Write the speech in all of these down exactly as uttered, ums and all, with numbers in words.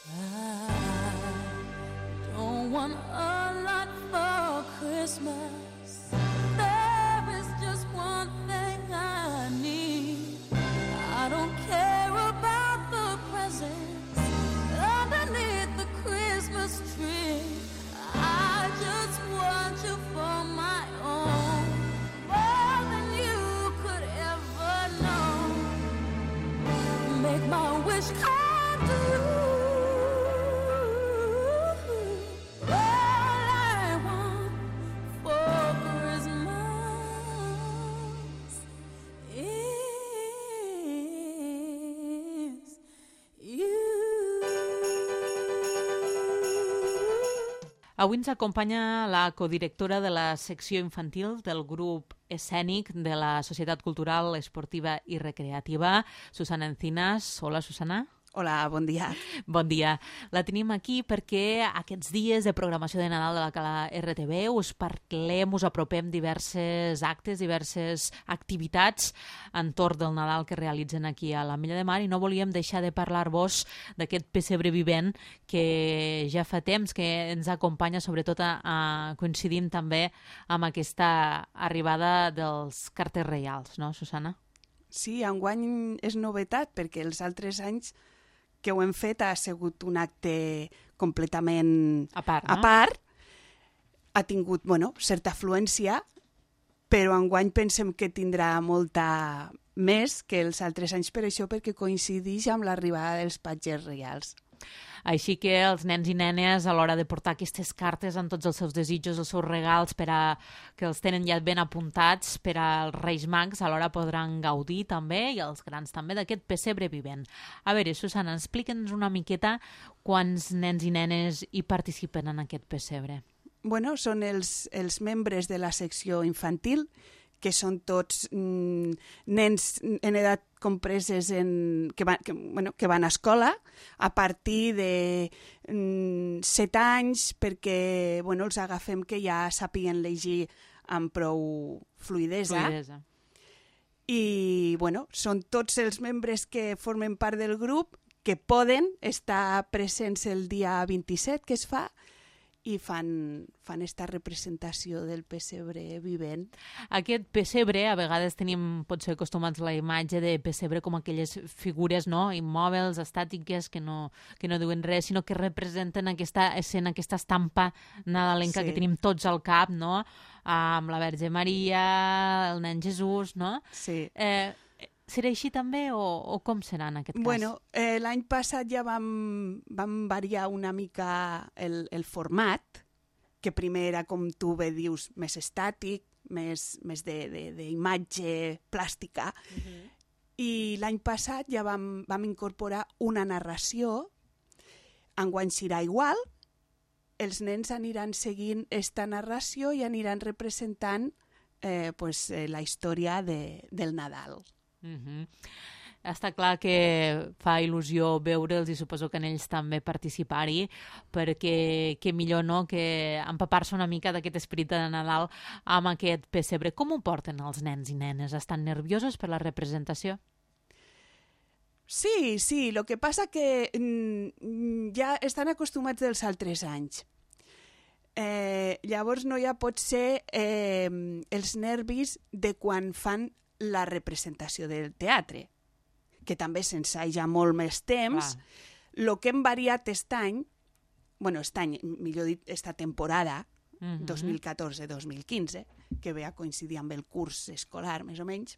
I don't want a lot for Christmas. There is just one thing I need. I don't care about the presents underneath the Christmas tree. I just want you for my own, more than you could ever know. Make my wish come true. Avui ens acompanya la codirectora de la secció infantil del grup escènic de la Societat Cultural, Esportiva i Recreativa, Susana Encinas. Hola, Susana. Hola, bon dia. Bon dia. La tenim aquí perquè aquests dies de programació de Nadal de la Cala R T V us parlem, us apropem diverses actes, diverses activitats entorn del Nadal que realitzen aquí a l'Ametlla de Mar i no volíem deixar de parlar-vos d'aquest pessebre vivent que ja fa temps que ens acompanya, sobretot a, a, coincidint també amb aquesta arribada dels carters reials, no, Susana? Sí, enguany és novetat perquè els altres anys que ho hem fet ha sigut un acte completament a part, a no? part. Ha tingut, bueno, certa afluència, però enguany pensem que tindrà molta més que els altres anys per això, perquè coincideix amb l'arribada dels patges reials. Així que els nens i nenes, a l'hora de portar aquestes cartes amb tots els seus desitjos, els seus regals, per a, que els tenen ja ben apuntats per als Reis Mags, alhora podran gaudir també, i els grans també, d'aquest pessebre vivent. A veure, Susana, explica'ns una miqueta quants nens i nenes hi participen en aquest pessebre. Bueno, són els, els membres de la secció infantil, que són tots mm, nens en edat compreses en, que, van, que, bueno, que van a escola a partir de mm, set anys, perquè bueno, els agafem que ja sàpiguen llegir amb prou fluidesa. Fluidesa. I bueno, són tots els membres que formen part del grup que poden estar presents el dia vint-i-set, que es fa, i fan, fan esta representació del pessebre vivent. Aquest pessebre, a vegades tenim potser acostumats a la imatge de pessebre com aquelles figures, no?, immòbils, estàtiques, que no, que no diuen res, sinó que representen aquesta escena, aquesta estampa nadalenca Sí. que tenim tots al cap, no?, amb la Verge Maria, el nen Jesús, no? Sí. Eh, serà així també o, o com serà en aquest cas? Bueno, eh, l'any passat ja vam, vam variar una mica el, el format, que primer era, com tu bé dius, més estàtic, més, més d'imatge plàstica, uh-huh. I l'any passat ja vam, vam incorporar una narració. Enguany serà igual, els nens aniran seguint esta narració i aniran representant eh, pues, eh, la història de, del Nadal. Uh-huh. Està clar que fa il·lusió veure'ls i suposo que en ells també participar-hi, perquè que millor no que empapar-se una mica d'aquest esperit de Nadal amb aquest pessebre. Com ho porten els nens i nenes? Estan nerviosos per la representació? Sí, sí, el que passa que mm, ja estan acostumats dels altres anys. Eh, llavors no hi ha pot ser eh, els nervis de quan fan la representació del teatre, que també s'ensaja molt més temps. El que hem variat aquest any, bueno, aquest any, millor dit, esta temporada, uh-huh. dos mil catorze dos mil quinze, que ve a coincidir amb el curs escolar, més o menys,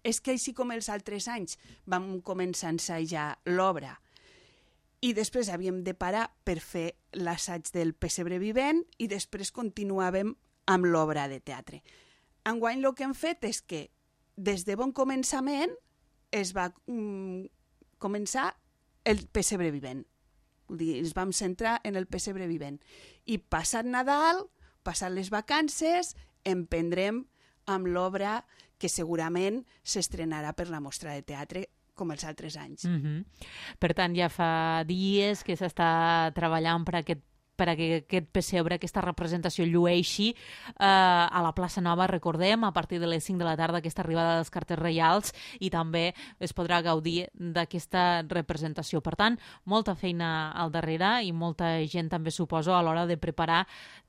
és que així com els altres anys vam començar a ensajar l'obra i després havíem de parar per fer l'assaig del pessebre vivent i després continuàvem amb l'obra de teatre. Enguany el que hem fet és que des de bon començament es va mm, començar el pessebre vivent. Vull dir, ens vam centrar en el pessebre vivent. I passat Nadal, passat les vacances, emprendrem amb l'obra que segurament s'estrenarà per la mostra de teatre com els altres anys. Uh-huh. Per tant, ja fa dies que s'està treballant per aquest per a que aquest pessebre, aquesta representació llueixi eh, a la plaça Nova, recordem, a partir de les cinc de la tarda, aquesta arribada dels carters reials, i també es podrà gaudir d'aquesta representació. Per tant, molta feina al darrere i molta gent també, suposo, a l'hora de preparar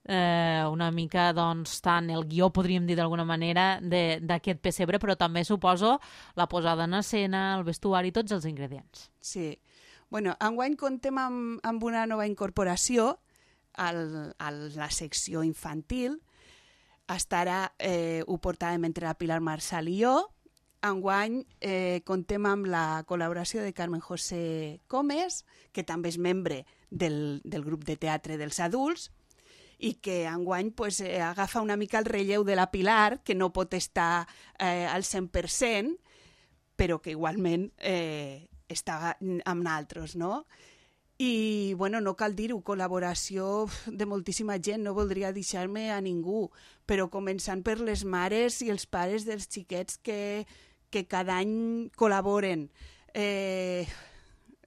eh, una mica, doncs, tant el guió, podríem dir d'alguna manera, d'aquest pessebre, però també, suposo, la posada en escena, el vestuari, tots els ingredients. Sí. Bueno, enguany contem amb, amb una nova incorporació al, a la secció infantil. Estarà, eh, ho portàvem entre la Pilar Marsal i jo. Enguany eh, contem amb la col·laboració de Carmen José Comes, que també és membre del, del grup de teatre dels adults, i que enguany pues, eh, agafa una mica el relleu de la Pilar, que no pot estar eh, al cent per cent, però que igualment eh, està amb naltros, no? I, bueno, no cal dir-ho, col·laboració de moltíssima gent, no voldria deixar-me a ningú, però començant per les mares i els pares dels xiquets que, que cada any col·laboren, eh,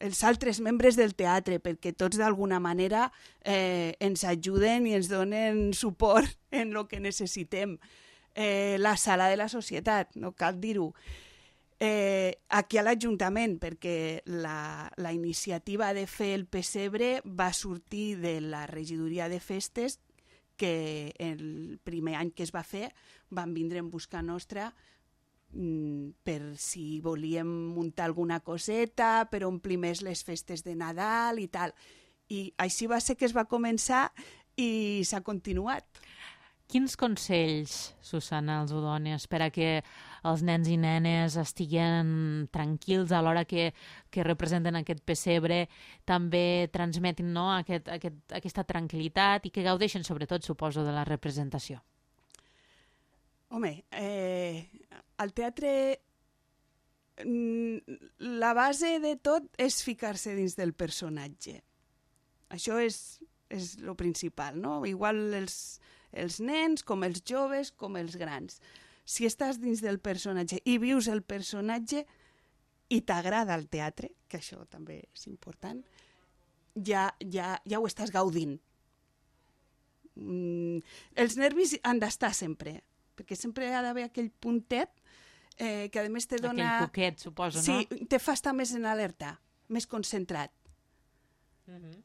els altres membres del teatre, perquè tots d'alguna manera eh, ens ajuden i ens donen suport en el que necessitem. Eh, la sala de la societat, no cal dir-ho. Eh, aquí a l'Ajuntament, perquè la, la iniciativa de fer el pessebre va sortir de la regidoria de festes, que el primer any que es va fer van vindre en busca nostra mm, per si volíem muntar alguna coseta, per omplir més les festes de Nadal i tal. I així va ser que es va començar i s'ha continuat. Quins consells, Susana, els ho dones per a que els nens i nenes estiguen tranquils a l'hora que, que representen aquest pessebre, també transmetin, no, aquest, aquest, aquesta tranquil·litat i que gaudeixen, sobretot, suposo, de la representació? Home, eh, al teatre la base de tot és ficar-se dins del personatge. Això és, és lo principal, no? Igual els... els nens, com els joves, com els grans. Si estàs dins del personatge i vius el personatge i t'agrada el teatre, que això també és important, ja, ja, ja ho estàs gaudint. Mm, els nervis han d'estar sempre, perquè sempre ha d'haver aquell puntet eh, que a més te dona... Aquell coquet, suposo, sí, no? Sí, te fa estar més en alerta, més concentrat. Uh-huh.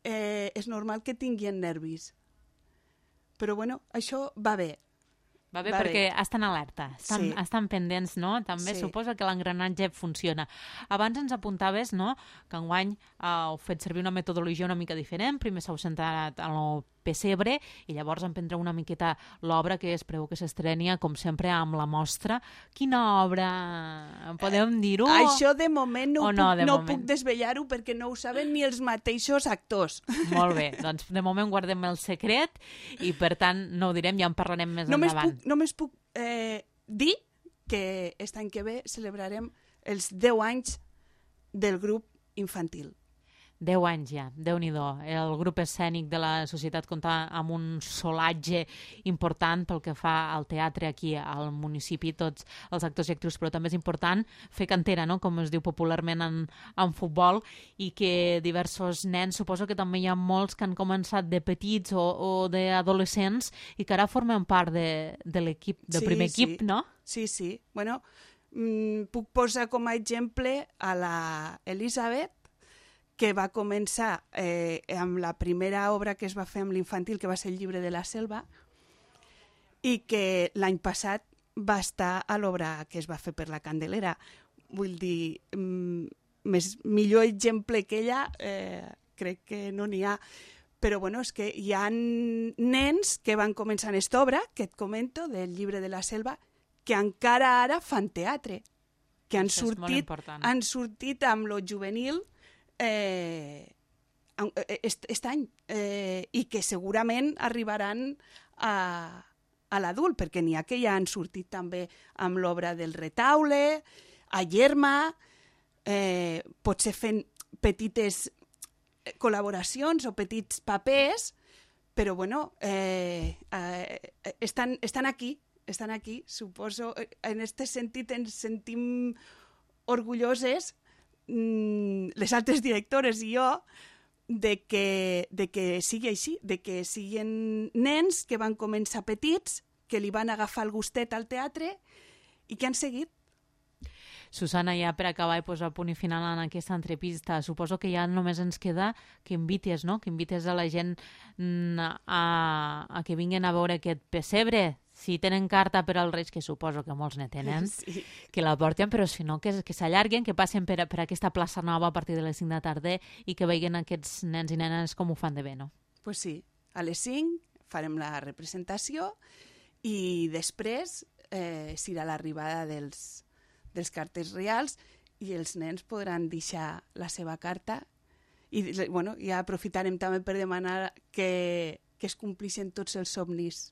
Eh, és normal que tinguin nervis. Però, bueno, això va bé. Va bé va perquè bé. estan alerta, estan, sí. estan pendents, no? També sí. suposa que l'engranatge funciona. Abans ens apuntaves, no?, que enguany eh, heu fet servir una metodologia una mica diferent. Primer s'heu centrat en el pessebre i llavors emprendreu una miqueta l'obra que es preveu que s'estrenia, com sempre, amb la mostra. Quina obra? Podem dir-ho? Eh, això de moment no, no, puc, de no moment? puc desvetllar-ho perquè no ho saben ni els mateixos actors. Molt bé, doncs de moment guardem el secret i per tant no ho direm, ja en parlarem més només endavant. Puc, només puc eh, dir que aquest any que ve celebrarem els deu anys del grup infantil. Deu anys ja, Déu-n'hi-do. El grup escènic de la societat compta amb un solatge important pel que fa al teatre aquí al municipi, tots els actors i actrius, però també és important fer cantera, no?, com es diu popularment en, en futbol, i que diversos nens, suposo que també hi ha molts que han començat de petits o, o d'adolescents i que ara formen part de, de l'equip, del sí, primer sí. equip, no? Sí, sí. Bueno, mm, puc posar com a exemple a la Elisabet, que va començar eh, amb la primera obra que es va fer amb l'infantil, que va ser el Llibre de la Selva, i que l'any passat va estar a l'obra que es va fer per la Candelera. Vull dir, mm, més, millor exemple que ella eh, crec que no n'hi ha. Però bueno, és que hi ha nens que van començar en aquesta obra, que et comento, del Llibre de la Selva, que encara ara fan teatre, que han sortit, han sortit amb lo juvenil Eh, aquest any eh, i que segurament arribaran a, a l'adult, perquè n'hi ha que ja han sortit també amb l'obra del Retaule, a Yerma, eh, potser fent petites col·laboracions o petits papers, però bueno, eh, eh, estan, estan aquí, estan aquí, suposo, en aquest sentit ens sentim orgulloses, les altres directores i jo, de que, de que sigui així, de que siguin nens que van començar petits, que li van agafar el gustet al teatre i que han seguit. Susana, ja per acabar i posar punt i final en aquesta entrevista, suposo que ja només ens queda que invites, no? Que invites a la gent a, a que vinguin a veure aquest pessebre. Si tenen carta per als Reis, que suposo que molts ne tenen, sí. que la porten, però si no, que, que s'allarguen, que passen per, per aquesta plaça nova a partir de les cinc de la tarda i que veien aquests nens i nenes com ho fan de bé, no? Pues sí, a les cinc farem la representació i després eh, serà l'arribada dels dels cartes reals i els nens podran deixar la seva carta i bueno, ja aprofitarem també per demanar que, que es complixen tots els somnis.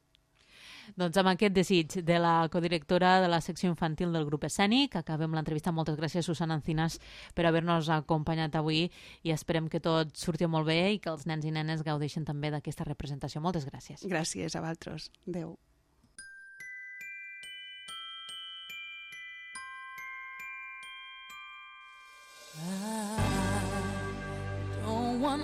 Doncs amb aquest desig de la codirectora de la secció infantil del grup escènic acabem l'entrevista. Moltes gràcies, Susana Encinas, per haver-nos acompanyat avui i esperem que tot surti molt bé i que els nens i nenes gaudeixin també d'aquesta representació. Moltes gràcies. Gràcies a vosaltres. Adéu. I don't want